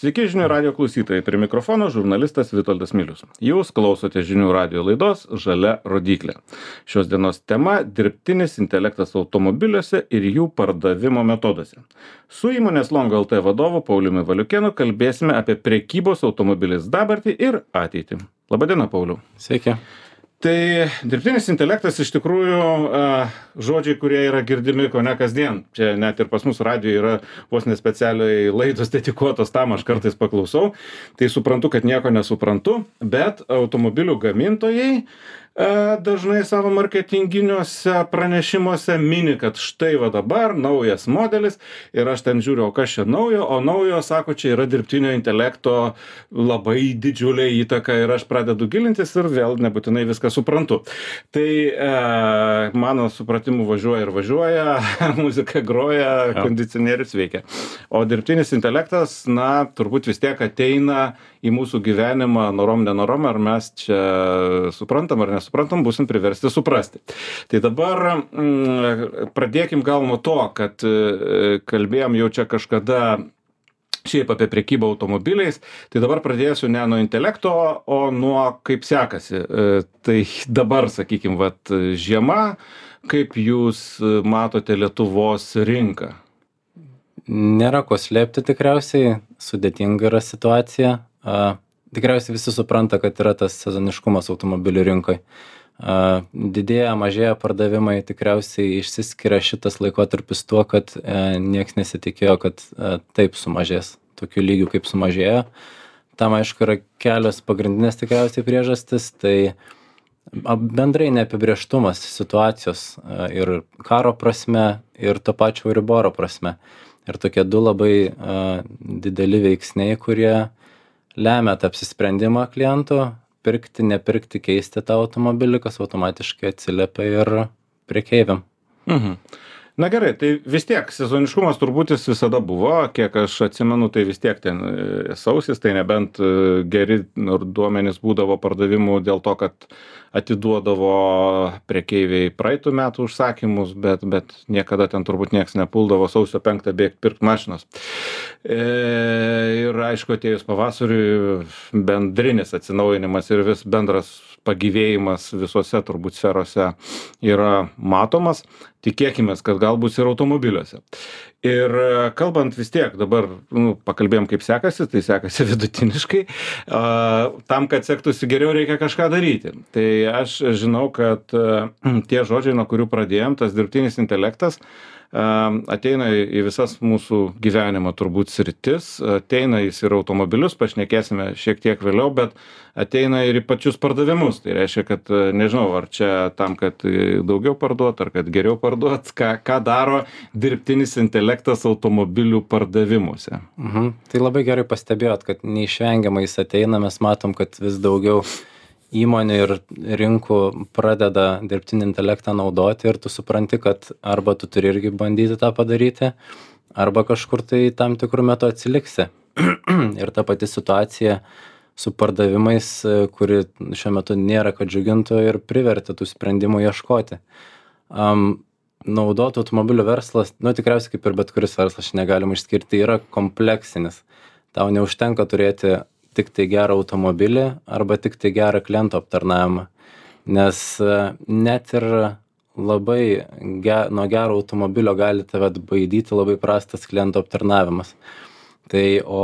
Sveiki žinių radio klausytojai, prie mikrofono žurnalistas Vitoldas Milius. Jūs klausote žinių radio laidos Žalia rodyklė. Šios dienos tema – dirbtinis intelektas automobiliuose ir jų pardavimo metoduose. Su įmonės Longo LT vadovu Pauliumi Valiukėnu kalbėsime apie prekybos automobiliais dabartį ir ateitį. Labadiena, Pauliau. Sveiki. Tai dirbtinis intelektas iš tikrųjų žodžiai, kurie yra girdimi ko ne kasdien. Čia net ir pas mus radijoje yra vos nespecialiai laidos dedikuotos tam, aš kartais paklausau. Tai suprantu, kad nieko nesuprantu, bet automobilių gamintojai dažnai savo marketinginiuose pranešimuose mini, kad štai va dabar naujas modelis ir aš ten žiūriu, o kas čia naujo, o naujo, sako, čia yra dirbtinio intelekto labai didžiulė įtaka ir aš pradedu gilintis ir vėl nebūtinai viską suprantu. Tai mano supratimu važiuoja ir važiuoja, muzika groja, kondicionierius veikia. O dirbtinis intelektas, na, turbūt vis tiek ateina į mūsų gyvenimą norom nenorom, ar mes čia suprantam ar nesuprantam, būsim priversti suprasti. Tai dabar pradėkim gal nuo to, kad kalbėjom jau čia kažkada šiaip apie prekybą automobiliais, tai dabar pradėsiu ne nuo intelekto, o nuo kaip sekasi. Tai dabar, sakykim, vat, žiema, kaip jūs matote Lietuvos rinką? Nėra ko slėpti tikriausiai, sudėtinga yra situacija. Tikriausiai visi supranta, kad yra tas sezoniškumas automobilių rinkoje. Didėja, mažėja pardavimai, tikriausiai išsiskiria šitas laikotarpis tuo, kad nieks nesitikėjo, kad taip sumažės, tokių lygių kaip sumažėjo. Tam aišku yra kelios pagrindinės tikriausiai priežastis, tai bendrai neapibrėžtumas situacijos ir karo prasme, ir to pačio Euriboro prasme. Ir tokie du labai dideli veiksniai, kurie lemia tą apsisprendimą klientų, pirkti, nepirkti, keisti tą automobilį, kas automatiškai atsiliepia ir prekeiviam. Na gerai, tai vis tiek sezoniškumas turbūt jis visada buvo, kiek aš atsimenu, tai vis tiek ten sausis, tai nebent geri duomenys būdavo pardavimų dėl to, kad atiduodavo prekeiviai praeitų metų užsakymus, bet niekada ten turbūt nieks nepuldavo sausio 5 bėgti pirkti mašinos. Ir aišku, atėjus pavasariui bendrinis atsinaujinimas ir vis bendras pagyvėjimas visose turbūt sferose yra matomas. Tikėkimės, kad gal bus ir automobiliuose. Ir kalbant vis tiek, dabar pakalbėjom kaip sekasi, tai sekasi vidutiniškai. Tam, kad sektųsi geriau, reikia kažką daryti. Tai aš žinau, kad tie žodžiai, nuo kurių pradėjom, tas dirbtinis intelektas, ateina į visas mūsų gyvenimo turbūt sritis, ateina jis ir automobilius, pašnekėsime šiek tiek vėliau, bet ateina ir į pačius pardavimus. Tai reiškia, kad nežinau, ar čia tam, kad daugiau parduot, ar kad geriau parduot, ką daro dirbtinis intelektas automobilių pardavimuose. Tai labai gerai pastebėjot, kad neišvengiamai jis ateina, mes matom, kad vis daugiau įmonių ir rinkų pradeda dirbtinį intelektą naudoti ir tu supranti, kad arba tu turi irgi bandyti tą padaryti, arba kažkur tai tam tikrų metų atsiliksi. Ir ta pati situacija su pardavimais, kuri šiuo metu nėra, kad džiugintų ir privertė tų sprendimų ieškoti. Naudotų automobilių verslas, tikriausiai kaip ir bet kuris verslas, negalim išskirti, yra kompleksinis. Tau neužtenka turėti tik tai gerą automobilį arba tik tai gerą klientų aptarnavimą. Nes net ir labai nuo gero automobilio gali tave atbaidyti labai prastas klientų aptarnavimas. Tai o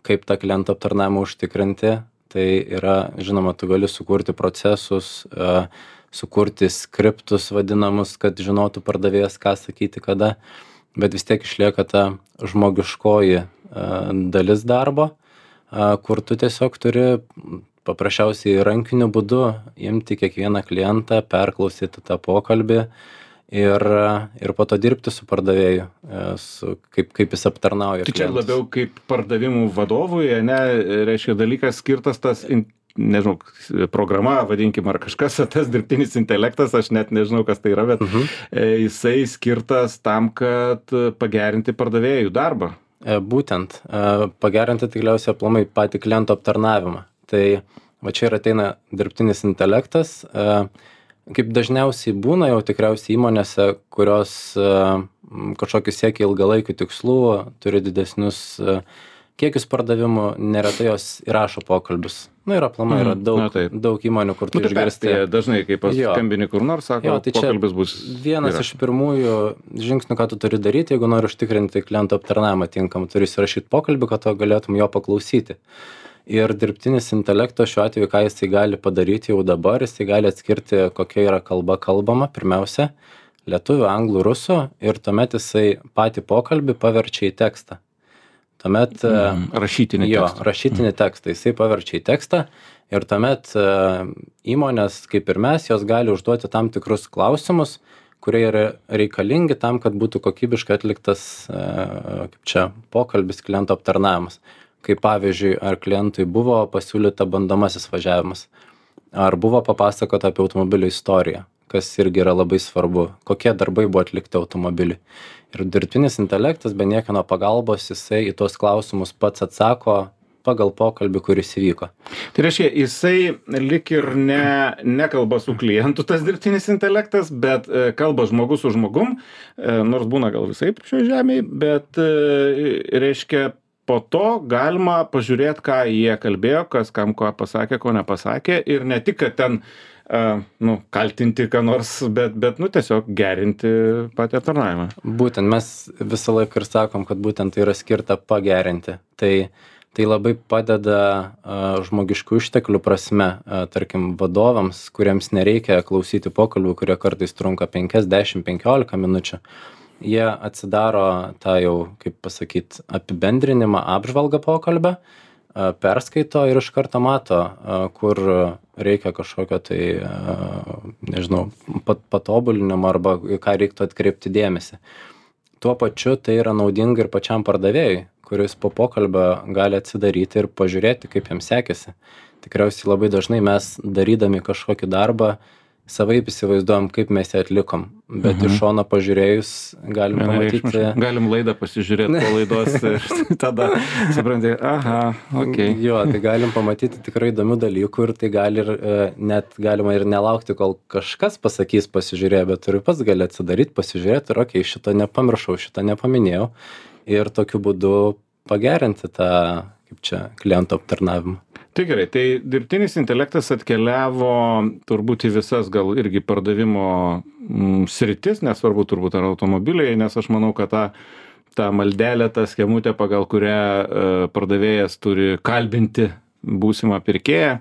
kaip tą klientų aptarnavimą užtikrinti, tai yra, žinoma, tu gali sukurti procesus, sukurti skriptus vadinamus, kad žinotų pardavėjas, ką sakyti, kada, bet vis tiek išlieka ta žmogiškoji dalis darbo, kur tu tiesiog turi paprasčiausiai rankiniu būdu imti kiekvieną klientą, perklausyti tą pokalbį ir po to dirbti su pardavėju, kaip jis aptarnauja klientus. Tai čia labiau kaip pardavimų vadovui, ne, reiškia dalykas skirtas tas, nežinau, programa, vadinkim, ar kažkas, tas dirbtinis intelektas, aš net nežinau, kas tai yra, bet jisai skirtas tam, kad pagerinti pardavėjų darbą. Būtent, pagerinti tikriausiai aplamai patį kliento aptarnavimą. Tai va čia ir ateina dirbtinis intelektas. Kaip dažniausiai būna jau tikriausiai įmonėse, kurios kažkokį siekia ilgalaikių tikslų, turi didesnius kiekius pardavimų, neretai jos įrašo pokalbius. Ir aplamai yra daug įmonių, kur tu išgirsti. Dažnai, kai paskambini kur nors, sako, tai pokalbis bus. Vienas iš pirmųjų žingsnių, ką tu turi daryti, jeigu nori užtikrinti kliento aptarnavimą tinkam, turi įsirašyti pokalbį, kad tu galėtum jo paklausyti. Ir dirbtinis intelektas šiuo atveju, ką jisai gali padaryti jau dabar, jisai gali atskirti, kokia yra kalba kalbama, pirmiausia, lietuvių, anglų, rusų, ir tuomet jisai patį pokalbį paverčia į tekstą. Tuomet rašytinį tekstą, jisai paverčia į tekstą ir tuomet įmonės, kaip ir mes, jos gali užduoti tam tikrus klausimus, kurie yra reikalingi tam, kad būtų kokybiškai atliktas pokalbis, kliento aptarnavimas. Kaip pavyzdžiui, ar klientui buvo pasiūlyta bandomasis važiavimas, ar buvo papasakota apie automobilio istoriją, kas irgi yra labai svarbu, kokie darbai buvo atlikti automobiliui. Ir dirbtinis intelektas be niekieno pagalbos, jisai į tuos klausimus pats atsako pagal pokalbį, kuris įvyko. Tai reiškia, jisai lik ir nekalba su klientu tas dirbtinis intelektas, bet kalba žmogus su žmogum, nors būna gal visai šioje žemėje, bet reiškia, po to galima pažiūrėti, ką jie kalbėjo, kas kam ko pasakė, ko nepasakė, ir ne tik, kad ten kaltinti ką nors, bet tiesiog gerinti patį aptarnavimą. Būtent, mes visą laiką ir sakom, kad būtent tai yra skirta pagerinti. Tai labai padeda žmogiškų išteklių prasme, tarkim, vadovams, kuriems nereikia klausyti pokalbių, kurie kartais trunka 5, 10, 15 minučių. Jie atsidaro tą jau, kaip pasakyti, apibendrinimą, apžvalgą pokalbio, perskaito ir iš karto mato, kur reikia kažkokio tai, nežinau, patobulinimo arba ką reiktų atkreipti dėmesį. Tuo pačiu tai yra naudinga ir pačiam pardavėjui, kuris po pokalbio gali atsidaryti ir pažiūrėti, kaip jam sekėsi. Tikriausiai labai dažnai mes, darydami kažkokį darbą, savaip įsivaizduojam, kaip mes jį atlikom, bet iš šono pažiūrėjus galim pamatyti. Galim laidą pasižiūrėti po laidos ir tada supranti, Jo, tai galim pamatyti tikrai įdomių dalykų ir tai gali ir net galima ir nelaukti, kol kažkas pasakys pasižiūrėję, bet ir pats gali atsidaryti, pasižiūrėti ir šito nepamiršau, šito nepaminėjau ir tokiu būdu pagerinti tą, kliento aptarnavimą. Tai gerai, tai dirbtinis intelektas atkeliavo turbūt į visas gal irgi pardavimo sritis, nesvarbu turbūt ar automobiliai, nes aš manau, kad tą maldelę, tą schemutę, pagal kurią pardavėjas turi kalbinti būsimą pirkėją,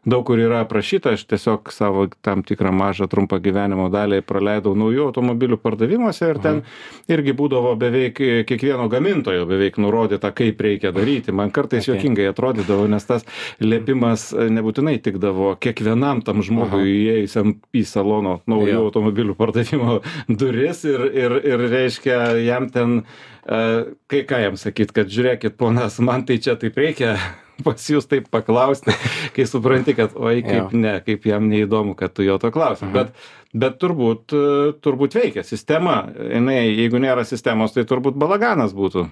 daug kur yra aprašyta, aš tiesiog savo tam tikrą mažą trumpą gyvenimo dalį praleidau naujų automobilių pardavimuose ir ten irgi būdavo beveik kiekvieno gamintojo beveik nurodyta, kaip reikia daryti. Man kartais juokingai atrodydavo, nes tas liepimas nebūtinai tikdavo kiekvienam tam žmogui įėjusiam į salono naujų automobilių pardavimo duris ir reiškia jam ten, ką jam sakyt, kad žiūrėkit, ponas, man tai čia taip reikia pas jūs taip paklausti, kai supranti, kad kaip jam neįdomu, kad tu jo to klausi. Bet turbūt veikia sistema. Jeigu nėra sistemos, tai turbūt balaganas būtų.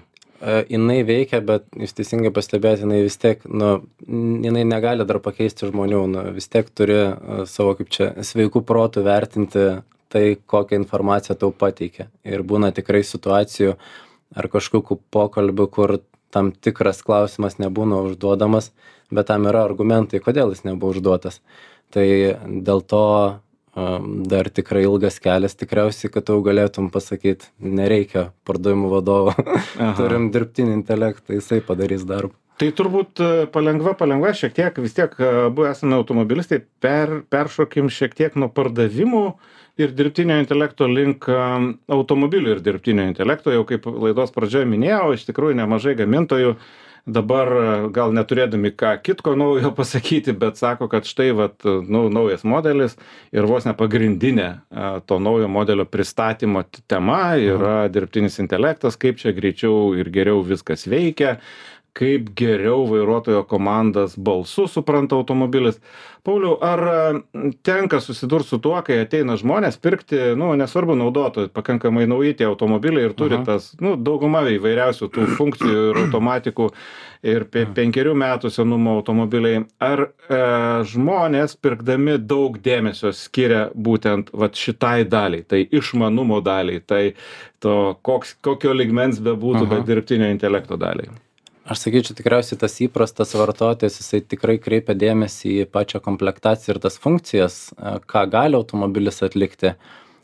Jinai veikia, bet jūs teisingai pastebėti, jinai vis tiek, jinai negali dar pakeisti žmonių, vis tiek turi savo sveikų protų vertinti tai, kokią informaciją tau pateikia. Ir būna tikrai situacijų ar kažkokių pokalbių, kur tam tikras klausimas nebūna užduodamas, bet tam yra argumentai, kodėl jis nebuvo užduotas. Tai dėl to dar tikrai ilgas kelias tikriausiai, kad tu galėtum pasakyti, nereikia pardavimų vadovo, turim dirbtinį intelektą, jisai padarys darbą. Tai turbūt palengva šiek tiek, vis tiek abu esame automobilistai, peršokim šiek tiek nuo pardavimų ir dirbtinio intelekto link automobilių ir dirbtinio intelekto. Jau kaip laidos pradžioje minėjau, iš tikrųjų nemažai gamintojų dabar gal neturėdami ką kitko naujo pasakyti, bet sako, kad štai naujas modelis ir vos ne pagrindinė to naujo modelio pristatymo tema yra dirbtinis intelektas, kaip čia greičiau ir geriau viskas veikia, kaip geriau vairuotojo komandas balsu supranta automobilis. Pauliau, ar tenka susidurti su tuo, kai ateina žmonės pirkti, nesvarbu naudotojai, pakankamai nauji tie automobiliai ir turi tas, dauguma įvairiausių tų funkcijų ir automatikų ir 5 metų senumo automobiliai. Ar žmonės pirkdami daug dėmesio skiria būtent šitai daliai, tai išmanumo daliai, tai to kokio lygmens bebūtų, bet dirbtinio intelekto daliai? Aš sakyčiau, tikriausiai tas įprastas vartotojas, jisai tikrai kreipia dėmesį į pačią komplektaciją ir tas funkcijas, ką gali automobilis atlikti,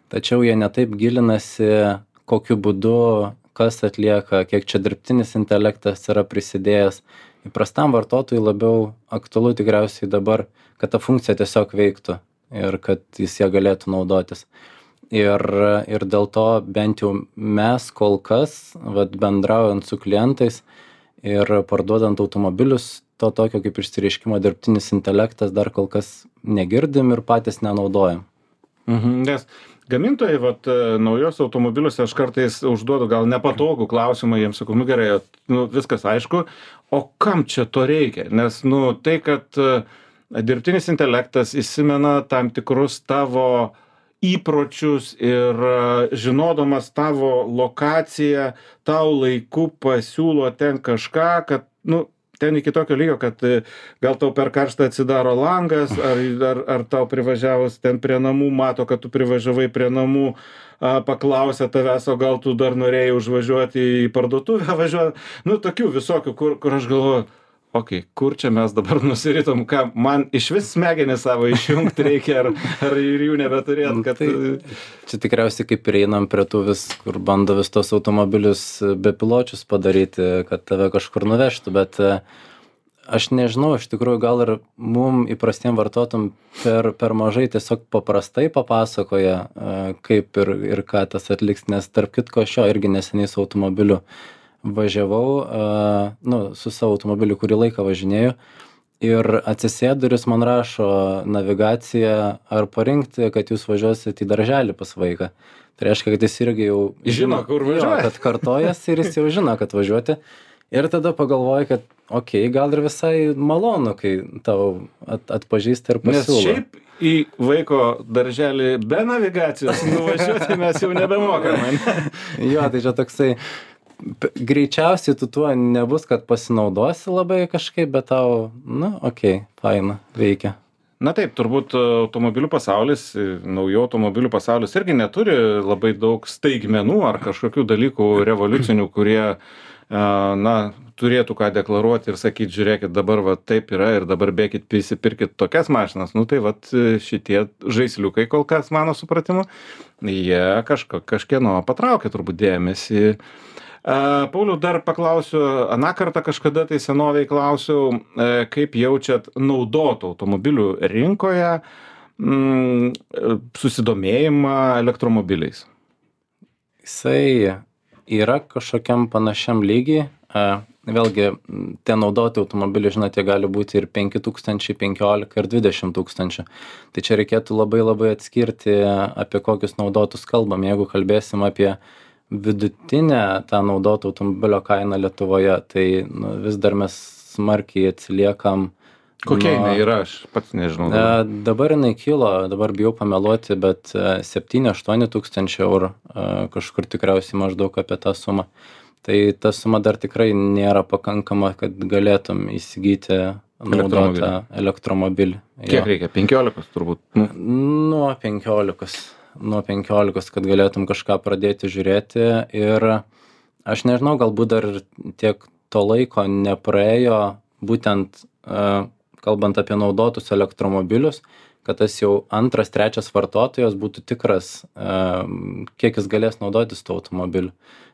tačiau jie netaip gilinasi, kokiu būdu, kas atlieka, kiek čia dirbtinis intelektas yra prisidėjęs. Įprastam vartotojui labiau aktualu tikriausiai dabar, kad ta funkcija tiesiog veiktų ir kad jis ją galėtų naudotis. Ir dėl to bent jau mes kol kas, bendraujant su klientais, ir parduodant automobilius, to tokio kaip išsireiškimo dirbtinis intelektas dar kol kas negirdim ir patys nenaudojam. Nes gamintojai, naujos automobiliuose aš kartais užduodu gal nepatogų klausimą, jiems sakau, gerai, viskas aišku, o kam čia to reikia? Nes, tai, kad dirbtinis intelektas įsimena tam tikrus tavo įpročius ir žinodamas tavo lokaciją, tau laiku pasiūlo ten kažką, kad, ten iki tokio lygio, kad gal tau per karštą atsidaro langas, ar tau privažiavus ten prie namų, mato, kad tu privažiavai prie namų, paklausia tavęs, o gal tu dar norėjai užvažiuoti į parduotuvę važiuoti. Tokių visokių, kur aš galvoju, kur čia mes dabar nusiritom, ką man iš vis smegenis savo išjungti reikia, ar ir jų nebeturėt. Kad... Čia tikriausiai kaip ir einam prie tų kur bando vis tos automobilius bepiločius padaryti, kad tave kažkur nuvežtų, bet aš nežinau, iš tikrųjų gal ir mum įprastiem vartotojam per mažai tiesiog paprastai papasakoja, kaip ir ką tas atliks, nes tarp kitko aš irgi neseniai su automobiliu važiavau, su savo automobiliu kurį laiką važinėju ir atsisėduris man rašo navigaciją, ar parinkti, kad jūs važiuosit į darželį pas vaiką. Tai reiškia, kad jis irgi jau žino, kur važiuoja. Kad kartojas ir jis jau žino, kad važiuoti. Ir tada pagalvoju, kad gal ir visai malonu, kai tau atpažįsta ir pasiūlo. Nes šiaip į vaiko darželį be navigacijos nuvažiuoti mes jau nebemokame. Jo, tai čia toksai greičiausiai tu tuo nebus, kad pasinaudosi labai kažkaip, bet tau, faina, veikia. Na taip, turbūt automobilių pasaulis, naujų automobilių pasaulis irgi neturi labai daug staigmenų ar kažkokių dalykų revoliucinių, kurie, turėtų ką deklaruoti ir sakyti, žiūrėkit, dabar taip yra ir dabar bėkit, prisipirkit tokias mašinas. Tai šitie žaisliukai kol kas, mano supratimu, jie kažkieno patraukia turbūt dėmesį. Pauliau, dar paklausiu, aną kartą kažkada tai senoviai klausiau, kaip jaučiat naudotų automobilių rinkoje susidomėjimą elektromobiliais? Jisai yra kažkokiam panašiam lygiai. Vėlgi, tie naudoti automobiliai, žinote, gali būti ir 5000, 15 ir 20 000. Tai čia reikėtų labai labai atskirti, apie kokius naudotus kalbam. Jeigu kalbėsim apie vidutinę tą naudotų automobilio kainą Lietuvoje, tai vis dar mes smarkiai atsiliekam. Kokia jinai yra, aš pats nežinau. Dabar jinai kilo, dabar bijau pameluoti, bet 7-8 tūkstančių eurų, kažkur tikriausiai maždaug apie tą sumą. Tai ta suma dar tikrai nėra pakankama, kad galėtum įsigyti naudotą elektromobilį. Kiek reikia? 15 turbūt? Nuo 15, kad galėtum kažką pradėti žiūrėti. Ir aš nežinau, galbūt dar tiek to laiko nepraėjo, būtent kalbant apie naudotus elektromobilius, kad tas jau 2-3 vartotojas būtų tikras, kiek jis galės naudotis tuo automobiliu.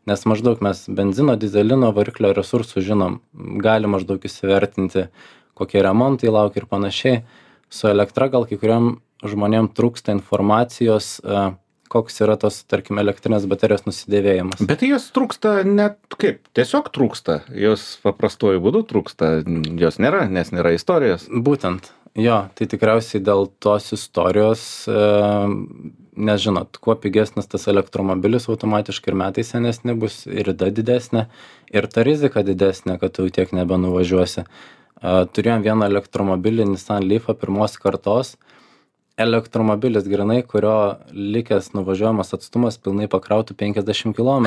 Nes maždaug mes benzino, dizelino, variklio resursų žinom, gali maždaug įsivertinti, kokie remontai laukia ir panašiai. Su elektra gal kai kuriam žmonėm trūksta informacijos, koks yra tos, tarkim, elektrinės baterijos nusidėvėjimas. Bet jos trūksta net kaip, tiesiog trūksta, jos paprastuoju būdu trūksta, jos nėra, nes nėra istorijos. Būtent, jo, tai tikriausiai dėl tos istorijos, nes žinot, kuo pigesnis tas elektromobilis, automatiškai ir metai senesni bus, ir rida didesnė, ir ta rizika didesnė, kad tu tiek nebenuvažiuosi. Turėjom vieną elektromobilį Nissan Leafą pirmos kartos, elektromobilis grinai, kurio likęs nuvažiuojamas atstumas pilnai pakrautų 50 km.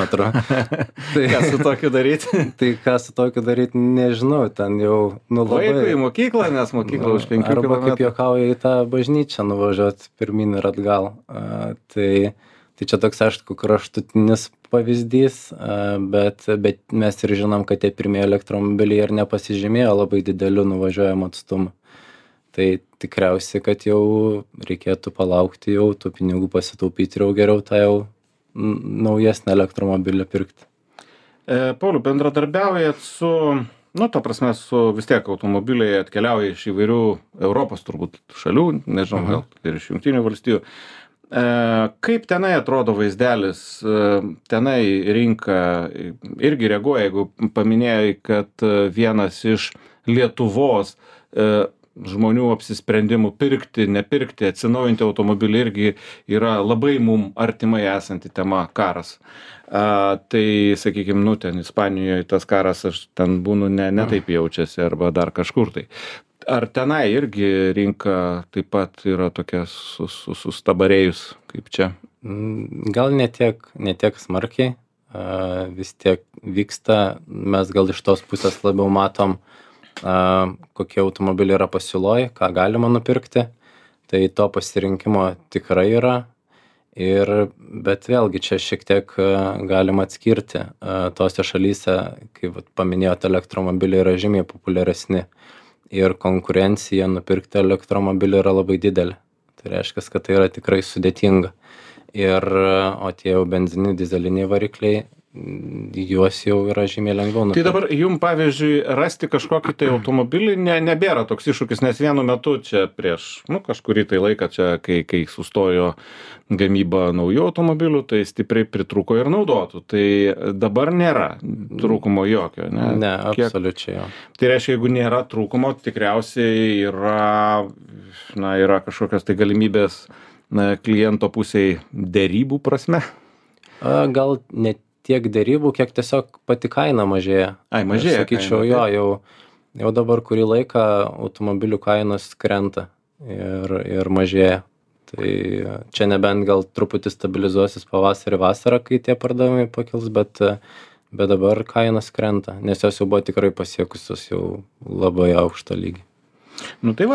Ką su tokiu daryti? Tai ką su tokiu daryti, nežinau, ten jau labai... Vaikui į mokyklą, nes mokykla už 5 km. Arba kaip juokauja į tą bažnyčią nuvažiuoti pirmin ir atgal. Tai čia toks, aišku, kraštutinis pavyzdys, bet mes ir žinom, kad tie pirmieji elektromobiliai ir nepasižymėjo labai dideliu nuvažiuojamu atstumu. Tai tikriausiai, kad jau reikėtų palaukti jau, tų pinigų pasitaupyti ir jau geriau tą jau naujesnį elektromobilį pirkti. Pauliau, bendradarbiaujat su, ta prasme, su vis tiek automobiliai atkeliauja iš įvairių Europos turbūt šalių, nežinau, gal ir iš Jungtinių valstijų. Kaip tenai atrodo vaizdelis, tenai rinka irgi reaguoja, jeigu paminėjai, kad vienas iš Lietuvos žmonių apsisprendimų pirkti, nepirkti, atsinaujinti automobilį irgi yra labai mum artimai esanti tema - karas. Tai, sakykime, ten Ispanijoje tas karas, aš ten būnu ne taip jaučiasi arba dar kažkur tai. Ar tenai irgi rinka taip pat yra tokia sustabarėjus kaip čia? Gal ne tiek smarkiai, vis tiek vyksta, mes gal iš tos pusės labiau matom, kokie automobiliai yra pasiūloj, ką galima nupirkti, tai to pasirinkimo tikrai yra, bet vėlgi čia šiek tiek galima atskirti. Tose šalyse, kaip paminėjot, elektromobiliai yra žymiai populiaresni ir konkurencija nupirkti elektromobilį yra labai didelė. Tai reiškia, kad tai yra tikrai sudėtinga. O tie jau benzininiai, dyzeliniai varikliai, juos jau yra žymiai lengviau nupirkti. Tai dabar jum, pavyzdžiui, rasti kažkokį tai automobilį nebėra toks iššūkis, nes vienu metu čia prieš kažkurį tai laiką, čia kai sustojo gamyba naujų automobilių, tai stipriai pritrūko ir naudotų. Tai dabar nėra trūkumo jokio, ne? Ne, absoliučiai jo. Tai reiškia, jeigu nėra trūkumo, tikriausiai yra kažkokios tai galimybės kliento pusiai derybų prasme? Gal ne tiek derybų, kiek tiesiog pati kaina mažėja. Mažėja. Sakyčiau, jau dabar kurį laiką automobilių kainos krenta ir mažėja. Tai čia nebent gal truputį stabilizuosis pavasarį vasarą, kai tie pardavimai pakils, bet dabar kainos krenta, nes jos jau buvo tikrai pasiekusios jau labai aukštą lygį. Tai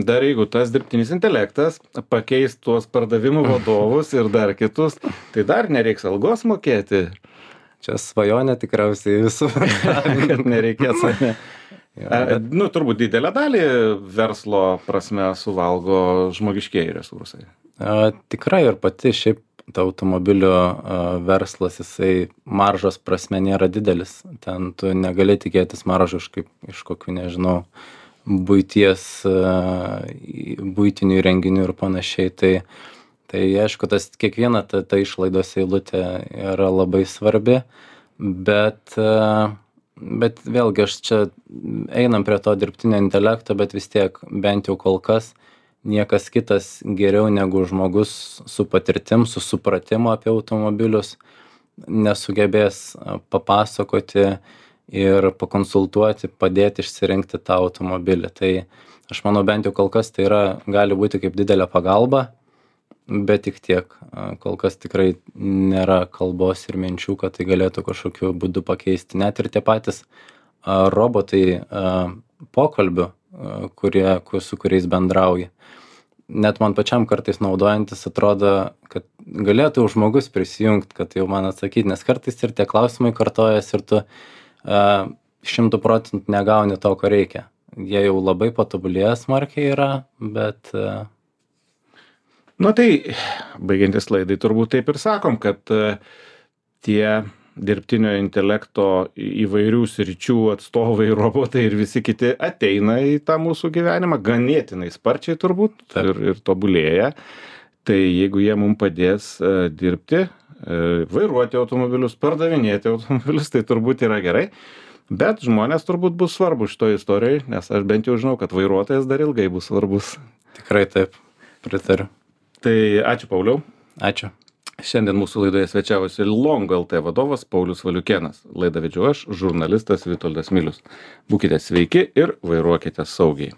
dar jeigu tas dirbtinis intelektas pakeis tuos pardavimų vadovus ir dar kitus, tai dar nereiks algos mokėti. Čia svajonė tikriausiai visų, kad nereikės. Turbūt didelę dalį verslo prasme suvalgo žmogiškieji resursai. Tikrai ir pati šiaip ta automobilio verslas, jisai maržos prasme nėra didelis. Ten tu negali tikėtis maržų iš kokių, nežinau, buitinių įrenginių ir panašiai. Tai aišku, kiekviena ta išlaidos eilutė yra labai svarbi, bet vėlgi aš čia einam prie to dirbtinio intelekto, bet vis tiek bent jau kol kas niekas kitas geriau negu žmogus su patirtim, su supratimu apie automobilius nesugebės papasakoti ir pakonsultuoti, padėti išsirinkti tą automobilį. Tai aš manau, bent jau kol kas tai gali būti kaip didelė pagalba, bet tik tiek. Kol kas tikrai nėra kalbos ir minčių, kad tai galėtų kažkokiu būdu pakeisti. Net ir tie patys robotai pokalbių, su kuriais bendrauji. Net man pačiam kartais naudojantis atrodo, kad galėtų žmogus prisijungti, kad jau man atsakyti, nes kartais ir tie klausimai kartojas ir tu 100% negauni to, ko reikia. Jie jau labai patobulėję smarkiai yra, bet... Tai baigiantis laidai turbūt taip ir sakom, kad tie dirbtinio intelekto įvairių sričių atstovai, robotai ir visi kiti ateina į tą mūsų gyvenimą ganėtinai sparčiai turbūt ir tobulėja. Tai jeigu jie mums padės dirbti, vairuoti automobilius, pardavinėti automobilius, tai turbūt yra gerai. Bet žmonės turbūt bus svarbu šitoje istorijoje, nes aš bent jau žinau, kad vairuotojas dar ilgai bus svarbus. Tikrai taip, pritariu. Tai ačiū, Pauliau. Ačiū. Šiandien mūsų laidoje svečiavosi Longo LT vadovas Paulius Valiukėnas. Laidą vedžiau aš, žurnalistas Vitoldas Milius. Būkite sveiki ir vairuokite saugiai.